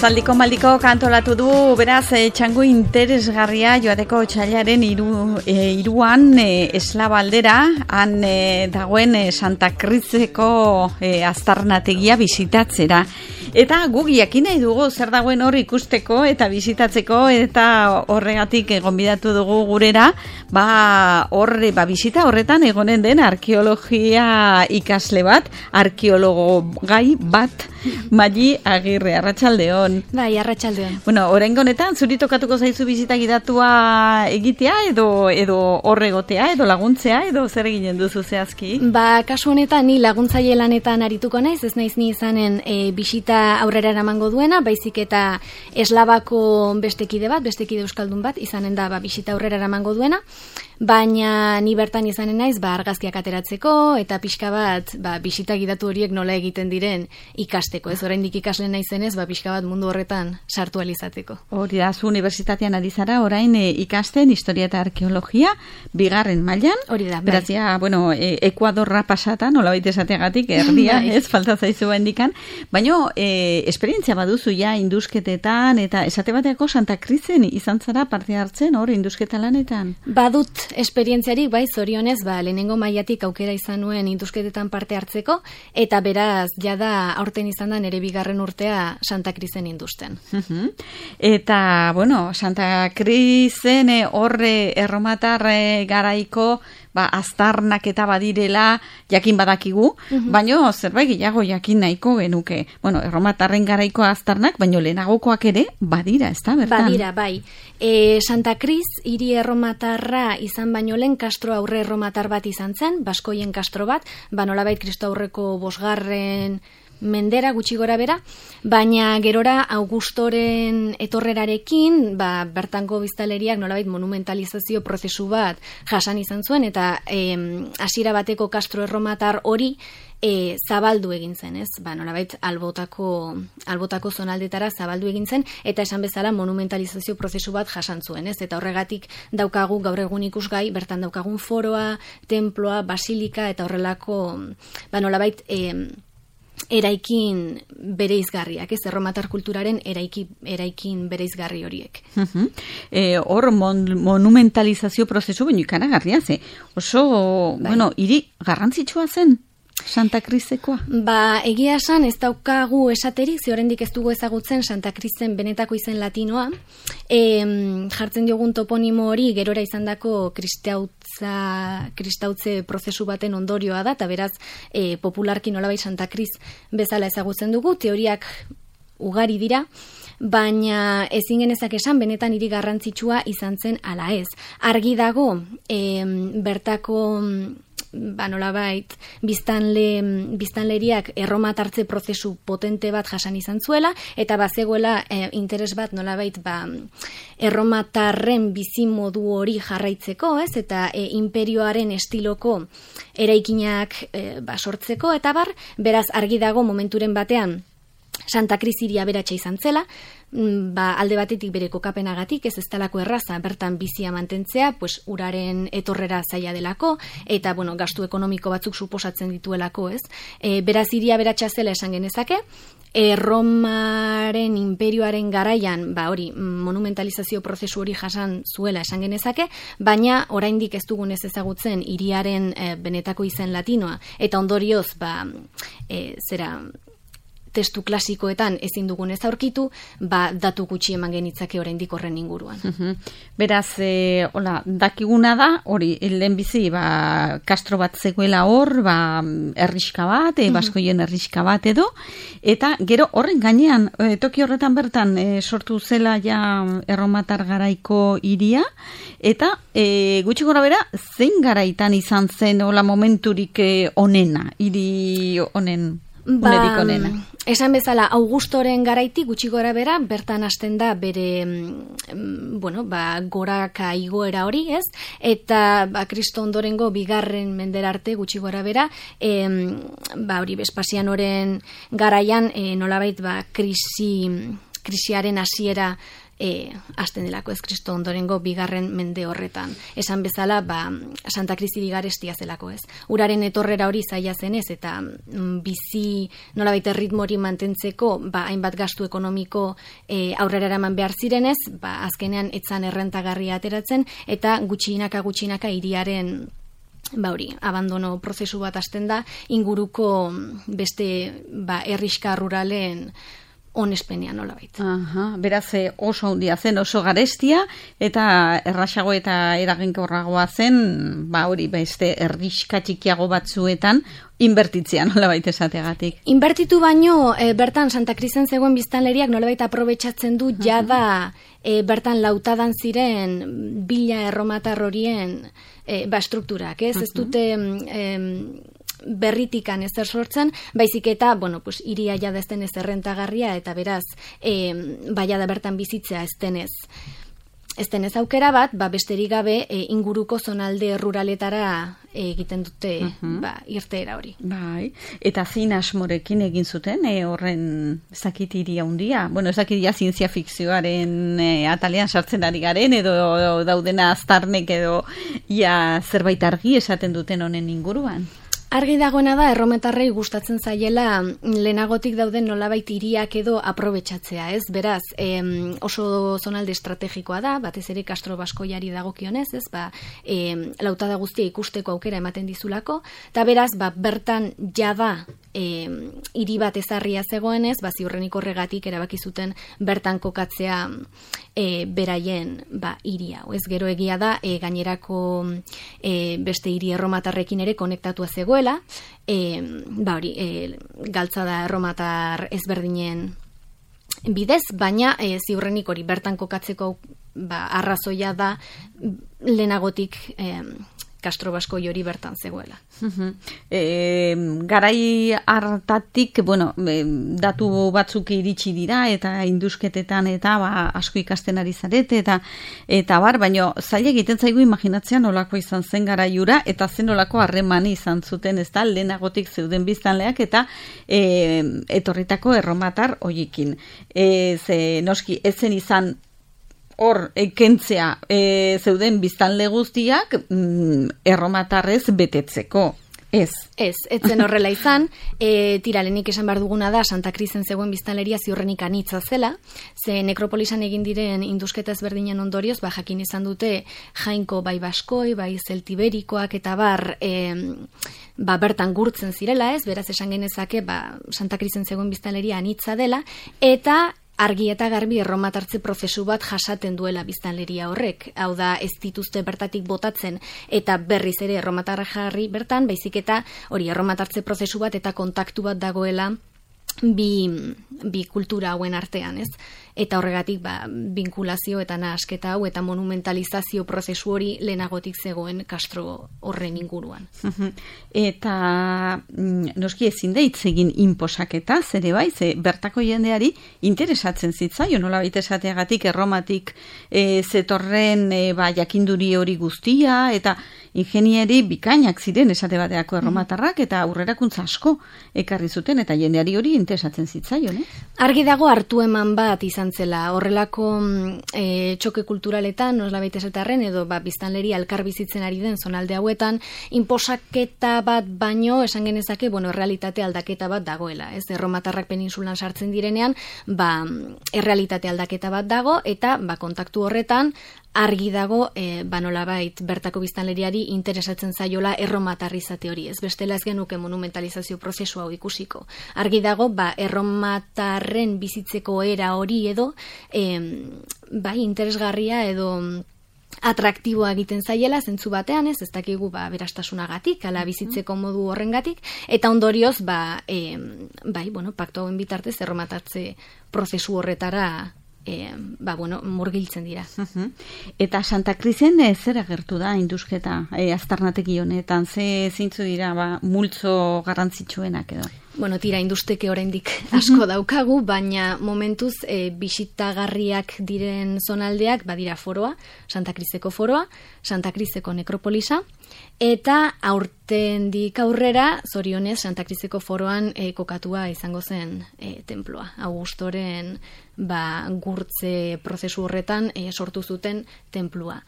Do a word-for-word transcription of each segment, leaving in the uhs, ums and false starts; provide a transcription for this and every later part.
Zaldiko maldiko kantolatu du, beraz, e, txango interesgarria joateko txailaren iru, e, iruan e, eslaba aldera, han e, dagoen e, Santa Crizeko e, aztarnategia bisitatzera. Eta guk jakin nahi dugu zer dagoen hor ikusteko eta bisitatzeko, eta horregatik gonbidatu dugu gurera, ba horre, ba bisita horretan egonen den arkeologia ikasle bat, arkeologo gai bat, Mali Agirre, arratsaldeon. Bai, arratsaldeon. Bueno, oraingo honetan zuri tokatuko zaizu bisita gidatua egitea edo edo horregotea edo laguntzea edo zer eginen duzu zehazki? Ba, kasu honetan ni laguntzaile lanetan arituko naiz, ez naiz ni izanen e, bisita aurrera eramango duena, baizik eta eslabako bestekide bat, bestekide euskaldun bat izanen da ba bisita aurrera eramango duena. Baina ni bertan izanen naiz ba argazkiak ateratzeko eta pixka bat ba bisita gidatu horiek nola egiten diren ikasteko. Ez oraindik ikasle naizenez ba pixka bat mundu horretan sartu ahal izateko. Hori da, zu unibertsitatean ari zara orain e, ikasten historia eta arkeologia bigarren mailan. Hori da. Beraz ja, bueno, e, Ekuadorra pasata, nolabait esateagatik erdia, ez falta zaizu bendikan, baina e, esperientzia baduzu ja indusketetan eta esate bateako Santa Crizen izan zara parte hartzen hor indusketa lanetan. Badut esperientziarik, bai, zorionez, ba, lehenengo mailatik aukera izan nuen indusketetan parte hartzeko, eta beraz, jada aurten izan da nere bigarren urtea Santa Crizen industen. Uh-huh. Eta, bueno, Santa Crizen horre erromatar garaiko ba, aztarnak eta badirela jakin badakigu, uh-huh. baino zerbait gehiago jakin nahiko genuke. Bueno, erromatarren garaiko aztarnak, baino lehenagokoak ere badira, ez da, bertan? Badira, bai. E, Santa Criz hiri erromatarra izan baino lehen kastro aurre erromatar bat izan zen, baskoien kastro bat, ba nolabait Kristo aurreko bosgarren mendera gutxi gora bera, baina gerora Augustoren etorrerarekin, ba, bertango biztaleriak nolabait monumentalizazio prozesu bat jasan izan zuen, eta hasiera bateko kastro erromatar hori E, zabaldu egin zen, ez? Ba, nolabait albotako, albotako zonaldetara zabaldu egin zen, eta esan bezala monumentalizazio prozesu bat jasan zuen, ez? Eta horregatik daukagu gaur egun ikusgai, bertan daukagun foroa, temploa, basilika, eta horrelako, ba, nolabait, e, eraikin bereizgarriak, ez? Erromatar kulturaren eraiki, eraikin bereizgarri horiek. Uh-huh. E, hor mon, monumentalizazio prozesu baino ikaragarria, ze? Oso, bai. Bueno, hiri garrantzitsua zen? Santa Crizekoa? Ba, egia esan ez daukagu esaterik, ze oraindik ez dugu ezagutzen Santa Crizen benetako izen latinoa. E, jartzen diogun toponimo hori gerora izandako kristautza, kristautze prozesu baten ondorioa da, eta beraz e, popularki nolabait Santa Criz bezala ezagutzen dugu, teoriak ugari dira, baina ezin genezak esan benetan hiri garrantzitsua izan zen ala ez. Argi dago, e, bertako ba nolabait biztanle biztanleriak erromatartze prozesu potente bat jasan izan zuela, eta bazegoela e, interes bat nolabait ba erromatarren bizimodu hori jarraitzeko, ez? Eta e, imperioaren estiloko eraikinak e, ba sortzeko, eta bar, beraz argi dago momenturen batean Santa Criz hiria aberatsa izan zela, ba, alde batetik bere kokapenagatik, ez ez talako erraza, bertan bizia mantentzea, pues uraren etorrera zaila delako, eta bueno, gastu ekonomiko batzuk suposatzen dituelako, ez? E, beraz hiria aberatsa zela esan genezake, e, Romaren imperioaren garaian, ba hori, monumentalizazio prozesu hori jasan zuela esan genezake, baina oraindik ez dugun ez ezagutzen hiriaren e, benetako izen latinoa, eta ondorioz, ba, e, zera testu klasikoetan ezin dugun ez aurkitu, ba, datu gutxi eman genitzake oraindik horren inguruan. Uh-huh. Beraz, e, hola, dakiguna da, hori, lehenbizi, ba, kastro bat zegoela hor, ba, erriska bat, e, baskoien erriska bat edo, eta gero horren gainean, e, toki horretan bertan e, sortu zela ja erromatar garaiko hiria, eta e, gutxi gora bera, zein garaitan izan zen hola momenturik e, onena, hiri honen? ba, unerik onena. Esan bezala, Augustoren garaitik gutxi gora bera, bertan hasten da bere, mm, bueno, ba, goraka igoera hori, ez? Eta, ba, Kristo ondorengo bigarren mendera arte gutxi gora bera, em, ba, hori, Vespasianoren garaian, e, nolabait, ba, krisi, krisiaren hasiera E, hasten delako ez Kristo ondorengo bigarren mende horretan. Esan bezala, ba, Santa Kristi bigarestia zelako ez. Uraren etorrera hori zaila zenez, eta mm, bizi nolabait erritmo hori mantentzeko, ba, hainbat gastu ekonomiko e, aurrera eraman behar zirenez, ba, azkenean etzan errentagarria ateratzen, eta gutxinaka gutxinaka hiriaren ba hori, abandono prozesu bat hasten da, inguruko beste ba, herriska ruralen onespenean nolabait. Aha, beraz oso handia zen, oso garestia, eta errasago eta eraginkorragoa zen, ba hori, beste herriska txikiago batzuetan, inbertitzea nolabait esateagatik. Inbertitu baino, e, bertan Santa Krisen zegoen biztanleriak nolabait aprobetxatzen du jada e, bertan lautadan ziren bila erromatar horien e, ba estrukturak, ez? Uh-huh. Ez dute e, berritikan ezer sortzen, baizik eta, bueno, pues, iria jada ezten ez errentagarria, eta beraz, e, baia da bertan bizitzea eztenez. Eztenez aukera bat, ba, besterik gabe, e, inguruko zonalde ruraletara e, egiten dute uh-huh. ba, irteera hori. Bai, eta zein asmorekin egin zuten, e, horren ezakit iria handia? Bueno, ezakit ja zientzia fikzioaren e, atalean sartzen ari garen, edo, edo daudena aztarnek edo ia zerbait argi esaten duten honen inguruan? Argi dagoena da, errometarrei gustatzen zaiela lehenagotik dauden nolabait hiriak edo aprobetxatzea, ez? Beraz, em, oso zonalde estrategikoa da, batez ere Castro Baskoiari dagokionez, ez? Ba, em, lautada guztia ikusteko aukera ematen dizulako, eta beraz, ba, bertan jada em, hiri bat ezarria zegoenez, ba, ziurrenik horregatik erabaki zuten bertan kokatzea e, beraien ba, hiri hau. Ez gero egia da, e, gainerako e, beste hiri erromatarrekin ere konektatua zegoen, E, ba hori, e, galtza da erromatar ezberdinen bidez, baina e, ziurrenik hori bertan kokatzeko ba, arrazoia da lehenagotik e, Castro Baskoi hori bertan zegoela. Uh-huh. E, garai hartatik, bueno, e, datu batzuk iritsi dira eta indusketetan eta ba, asko ikasten ari zarete eta eta bar, baina zaila egiten zaigu imaginatzea nolako izan zen garaiura eta zen nolako harremani izan zuten, ez da, lehenagotik zeuden biztanleak eta e, etorritako erromatar hoiekin. E, ze, noski, ezen izan hor, ekentzea e, zeuden biztanle guztiak mm, erromatarrez betetzeko. Ez. Ez, etzen horrela izan, e, tiralenik esan behar duguna da, Santa Krisen zegoen biztanleria ziurrenik anitza zela, ze nekropolisan egin diren indusketa ezberdinen ondorioz, ba, jakin izan dute jainko bai baskoi, bai zeltiberikoak eta bar, e, ba, bertan gurtzen zirela, ez, beraz esan genezake, ba, Santa Krisen zegoen biztanleria anitza dela, eta argi eta garbi erromatartze prozesu bat jasaten duela biztanleria horrek. Hau da, ez dituzte bertatik botatzen eta berriz ere erromatarra jarri bertan, baizik eta hori erromatartze prozesu bat eta kontaktu bat dagoela bi, bi kultura hauen artean, ez? Eta horregatik, ba, vinkulazio eta nahasketa hau eta monumentalizazio prozesu hori lehenagotik zegoen Castro horren inguruan. Eta noski ezin da hitz egin inposaketa, zere bai, ze bertako jendeari interesatzen zitzaio, nola baita esateagatik erromatik e, zetorren e, ba, jakinduri hori guztia, eta ingenieri bikainak ziren esate bateako erromatarrak, eta aurrerakuntza asko ekarri zuten, eta jendeari hori interesatzen zitzaio, ne? Argi dago hartu eman bat izan zela, horrelako e, txoke kulturaletan, nola baita esatarren, edo ba, biztanleri alkar bizitzen ari den zonalde hauetan, inposaketa bat baino, esan genezake, bueno, errealitate aldaketa bat dagoela, ez? Erromatarrak peninsulan sartzen direnean, ba, errealitate aldaketa bat dago, eta ba, kontaktu horretan, argi dago, e, ba, nolabait bertako biztanleriari interesatzen zaiola erromatarrizate hori, ez? Bestela ez genuke monumentalizazio prozesu hau ikusiko. Argi dago, ba, erromatarren bizitzeko era hori edo, e, bai, interesgarria edo atraktiboa egiten zaiela, zentzu batean, ez, ez dakigu, ba, berastasunagatik, ala bizitzeko modu horrengatik, eta ondorioz, ba, e, bai, bueno, paktu hauen bitartez erromatartze prozesu horretara E, ba, bueno, murgiltzen dira. Uh-huh. Eta Santa Krisen e, zer agertu da indusketa e, aztarnategi honetan? Ze zeintzu dira ba, multzo garrantzitsuenak edo? Bueno, tira industeke oraindik asko daukagu, baina momentuz e, bisitagarriak diren zonaldeak badira foroa, Santa Criseko foroa, Santa Criseko nekropolisa, eta aurtendik aurrera, zorionez, Santa Criseko foroan e, kokatua izango zen e, temploa. Augustoren ba, gurtze prozesu horretan e, sortu zuten templua.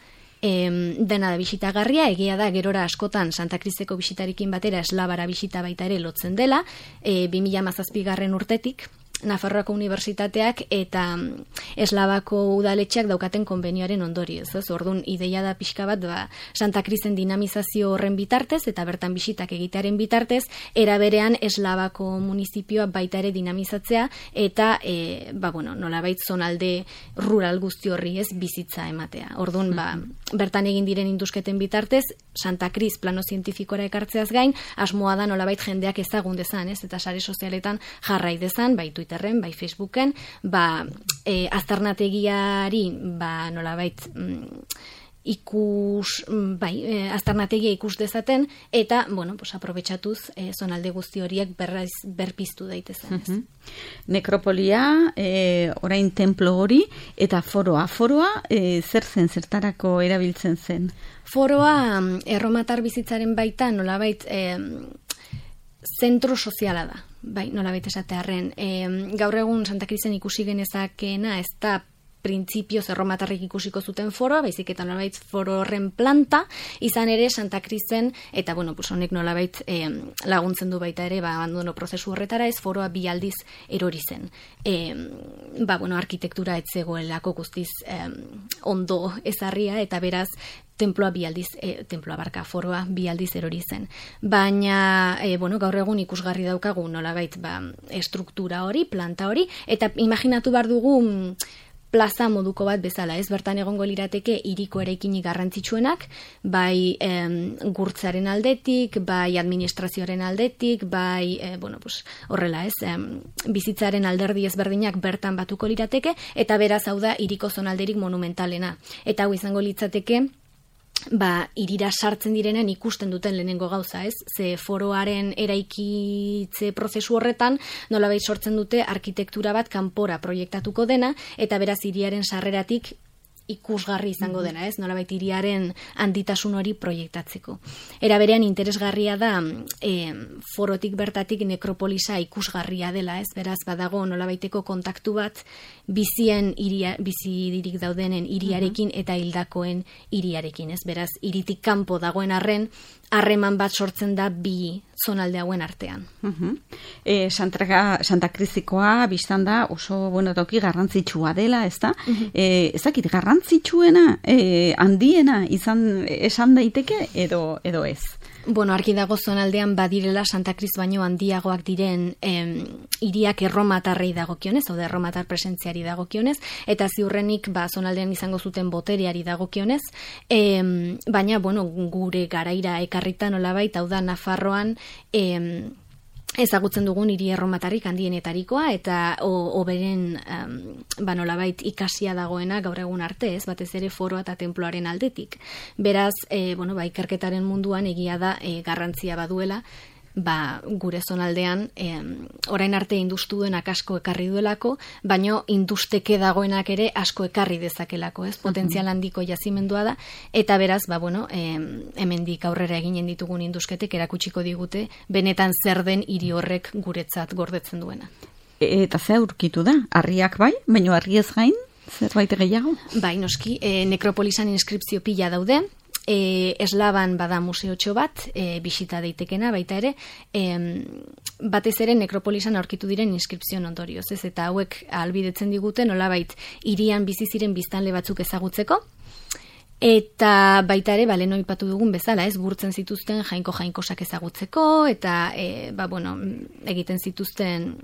E, dena da bisitagarria, egia da gerora askotan Santa Criseko bisitarekin batera eslabara bisita baita ere lotzen dela, e, bi mila hamazazpigarren urtetik, Nafarroako Unibertsitateak eta Eslabako udaletxeak daukaten konbenioaren ondorioz. Orduan ideia da pixka bat ba, Santa Crisen dinamizazio horren bitartez eta bertan bisitak egitearen bitartez, era berean Eslabako munizipioa baita ere dinamizatzea eta e, ba, bueno, nolabait zonalde rural guzti horri ez bizitza ematea. Orduan ba, bertan egin diren indusketen bitartez, Santa Cris plano zientifikora ekartzeaz gain, asmoa da nolabait jendeak ezagun dezan, ez? Eta sare sozialetan jarrai dezan, baitu Twitterren, bai Facebooken, ba, e, aztarnategiari, ba, nolabait, mm, ikus, bai, e, aztarnategia ikus dezaten, eta, bueno, pues, aprobetxatuz, e, zonalde guzti horiek berraiz, berpiztu daitezen. Ez? Uh-huh. Nekropolia, e, orain templo hori, eta foroa. Foroa, e, zer zen, zertarako erabiltzen zen? Foroa, erromatar bizitzaren baita, nolabait, e, zentro soziala da. Bai, nola baita esatearren. E, gaur egun Santa Crisen ikusi genezakeena ez da printzipioz erromatarrik ikusiko zuten foroa, baizik eta nolabait foro horren planta, izan ere Santa Crisen, eta bueno, pues honek nolabait e, laguntzen du baita ere, ba, abandono prozesu horretara ez foroa bi aldiz erori zen. E, ba, bueno, arkitektura etzegoelako guztiz e, ondo ezarria, eta beraz, temploa bi aldiz, e, temploa barka, foroa bi aldiz erori zen. Baina, e, bueno, gaur egun ikusgarri daukagu nolabait ba, estruktura hori, planta hori, eta imaginatu behar dugu plaza moduko bat bezala, ez? Bertan egongo lirateke hiriko eraikinik garrantzitsuenak, bai em, gurtzaren aldetik, bai administrazioaren aldetik, bai, e, bueno, pues, horrela, ez? Em, bizitzaren alderdi ezberdinak bertan batuko lirateke, eta beraz hau da hiriko zonalderik monumentalena. Eta hau izango litzateke, ba, irira sartzen direnean ikusten duten lehenengo gauza, ez? Ze foroaren eraikitze prozesu horretan nolabait sortzen dute arkitektura bat kanpora proiektatuko dena, eta beraz hiriaren sarreratik ikusgarri izango dena, ez? Nolabait hiriaren handitasun hori proiektatzeko. Era berean interesgarria da e, forotik bertatik nekropolisa ikusgarria dela, ez? Beraz badago nolabaiteko kontaktu bat bizien hiria, bizirik daudenen hiriarekin eta hildakoen hiriarekin, ez? Beraz hiritik kanpo dagoen arren harreman bat sortzen da bi zonalde hauen artean. Uh-huh. E, Santa, Santa Crisikoa biztan da oso bueno toki garrantzitsua dela, ezta? Uh-huh. E, ez dakit garrantzitsuena, e, handiena izan esan daiteke edo edo ez. Bueno, argi dago zonaldean badirela Santa Cris baino handiagoak diren em, hiriak erromatarrei dagokionez, hau da erromatar presentziari dagokionez, eta ziurrenik ba, zonaldean izango zuten botereari dagokionez, em, baina, bueno, gure garaira ekarrita nolabait, hau da Nafarroan em, ezagutzen dugun hiri erromatarrik handienetarikoa eta oberen um, ba nolabait ikasia dagoena gaur egun arte, ez, batez ere foroa eta tenploaren aldetik. Beraz, e, bueno, ba, ikerketaren munduan egia da e, garrantzia baduela, ba, gure zonaldean e, orain arte industu duenak asko ekarri duelako, baino industeke dagoenak ere asko ekarri dezakelako, ez? Potentzial handiko jazimendua da, eta beraz, ba, bueno, e, hemendik aurrera eginen ditugun indusketek erakutsiko digute benetan zer den hiri horrek guretzat gordetzen duena. E, eta ze aurkitu da? Harriak bai, baino harriez gain, zerbait gehiago? Bai, noski, e, nekropolisan inskripzio pila daude, E, eslaban bada museotxo bat, e, bisita daitekena baita ere, e, batez ere nekropolisan aurkitu diren inskripzio ondorioz, ez? Eta hauek ahalbidetzen digute nolabait hirian bizi ziren biztanle batzuk ezagutzeko, eta baita ere, bale, noipatu dugun bezala, ez, gurtzen zituzten jainko jainkosak ezagutzeko, eta, e, ba, bueno, egiten zituzten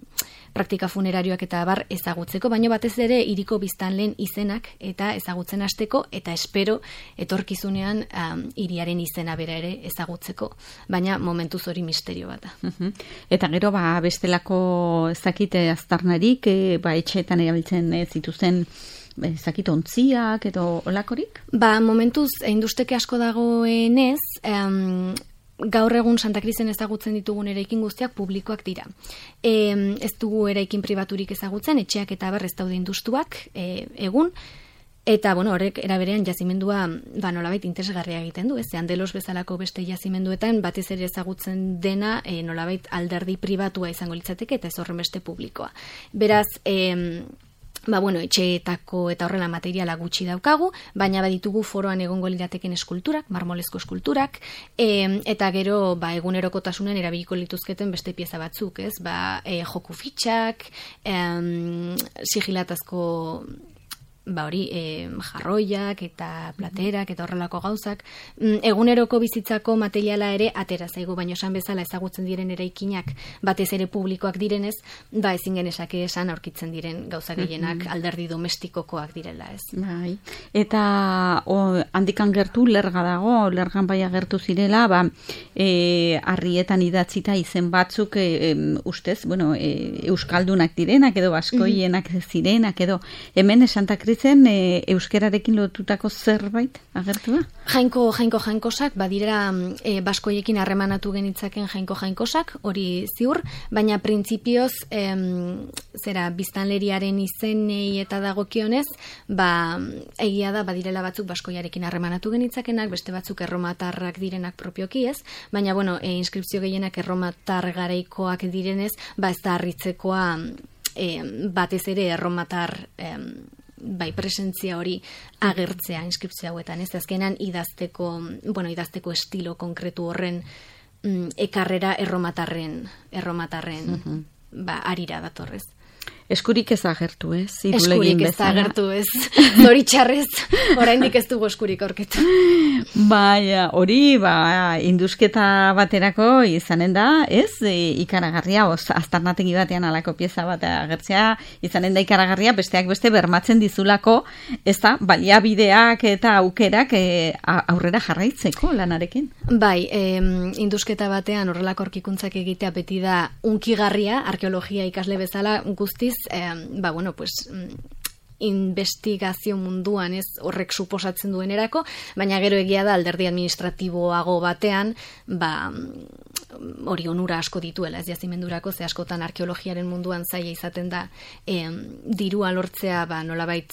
praktika funerarioak eta bar ezagutzeko, baino batez ere hiriko biztanleen izenak eta ezagutzen hasteko, eta espero etorkizunean um, hiriaren izena bera ere ezagutzeko, baina momentuz hori misterio bat da. Uh-huh. Eta gero, ba, bestelako ez dakite aztarnarik, e, ba, etxeetan erabiltzen e, zituzten ezakit ontziak edo olakorik? Ba, momentuz, industeke asko dagoenez, um, gaur egun Santa Crisen ezagutzen ditugun eraikin guztiak publikoak dira. E, ez dugu eraikin pribaturik ezagutzen, etxeak eta berrez daude industuak e, egun, eta, bueno, horrek eraberean jazimendua ba, nolabait interesgarria egiten du, ez? Andelos bezalako beste jazimenduetan batez ere ezagutzen dena e, nolabait alderdi pribatua izango litzateke eta ez horren beste publikoa. Beraz, e, ba, bueno, etxeetako eta horrela materiala gutxi daukagu, baina baditugu foroan egongo lirateken eskulturak, marmolezko eskulturak, e, eta gero ba, egunerokotasunen erabiliko lituzketen beste pieza batzuk, ez? Ba, e, joku fitxak, e, sigilatazko ba hori, e, jarroiak eta platerak eta horrelako gauzak, eguneroko bizitzako materiala ere atera zaigu, baina esan bezala ezagutzen diren eraikinak batez ere publikoak direnez, ba ezin genezake esan aurkitzen diren gauza gehienak alderdi domestikokoak direla, ez. Bai. Eta o, handikan gertu lerga dago, lergan bai agertu zirela, ba e, harrietan idatzita izen batzuk e, e, ustez, bueno, e, euskaldunak direnak edo baskoienak zirenak edo hemen Santa Crisen e, euskerarekin lotutako zerbait agertu da? Jainko, jainko jainkosak, badira e, baskoiekin harremanatu genitzaken jainko jainkosak, hori ziur, baina printzipioz em, zera biztanleriaren izenei eta dagokionez, ba egia da badirela batzuk baskoiarekin harremanatu genitzakenak, beste batzuk erromatarrak direnak propioki, ez? Baina bueno, e, inskripzio gehienak erromatar garaikoak direnez, ba ez da harritzekoa e, batez ere erromatar em, bai presentzia hori agertzea inskripzio hauetan, ez azkenan idazteko, bueno, idazteko estilo konkretu horren mm, ekarrera erromatarren, erromatarren uh-huh. ba arira datorrez. Eskurik ez agertu, ez? Eskurik ez agertu, ez. Zoritxarrez, oraindik ez dugu eskurik aurketu. Baina, hori, ba, indusketa baterako izanen da, ez? E, ikaragarria, oz, aztarnategi batean alako pieza bat agertzea, izanen da ikaragarria, besteak beste bermatzen dizulako, ez da, baliabideak eta aukerak e, aurrera jarraitzeko lanarekin. Bai, e, indusketa batean horrelako aurkikuntzak egitea beti da unkigarria, arkeologia ikasle bezala guztiz, Eh, ba, bueno, pues, investigazio munduan ez horrek suposatzen duenerako, baina gero egia da alderdi administratiboago batean, ba, hori onura asko dituela ez jazimendurako, ze askotan arkeologiaren munduan zaila izaten da eh, dirua lortzea, ba, nolabait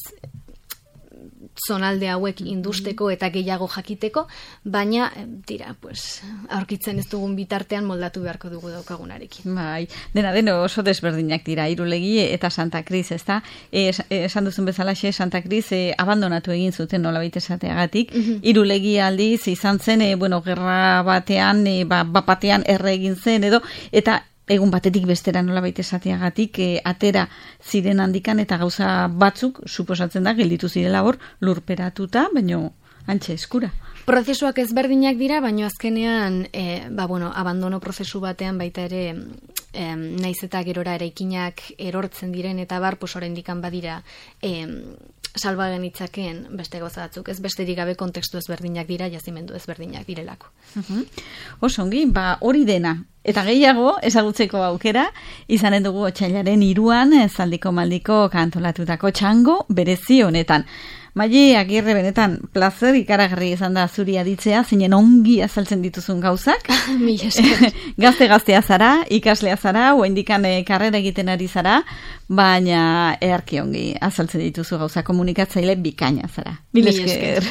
zonalde hauek industeko eta gehiago jakiteko, baina dira, pues, aurkitzen ez dugun bitartean moldatu beharko dugu daukagunarekin. Bai, dena deno oso desberdinak dira, Irulegi eta Santa Cris, ezta? E, esan duzun bezalaxe, Santa Cris e, abandonatu egin zuten nolabait esateagatik. Mm-hmm. Irulegi aldiz izan zen, e, bueno, gerra batean, e, ba, bapatean erre egin zen edo, eta egun batetik bestera nolabait esateagatik e, atera ziren handikan eta gauza batzuk suposatzen da gelditu zirela hor lurperatuta, baino antxe eskura. Prozesuak ezberdinak dira, baino azkenean e, ba, bueno, abandono prozesu batean baita ere e, naiz eta gerora eraikinak erortzen diren eta bar, pues oraindikan badira e, salba genitzakeen beste gauza batzuk, ez besterik gabe kontekstu ezberdinak dira, jazimendu ezberdinak direlako. Uh-huh. Osongi, ba hori dena. Eta gehiago, ezagutzeko aukera, izanen dugu otsailaren hiruan zaldiko maldiko kantolatutako txango berezi honetan. Maile Agirre, benetan plazer ikaragarri izan da zuri aditzea, zinen ongi azaltzen dituzun gauzak. Gazte-gaztea zara, ikaslea zara, oraindikan karrera egiten ari zara, baina eharki ongi azaltzen dituzu gauza, komunikatzaile bikaina zara. Mil esker.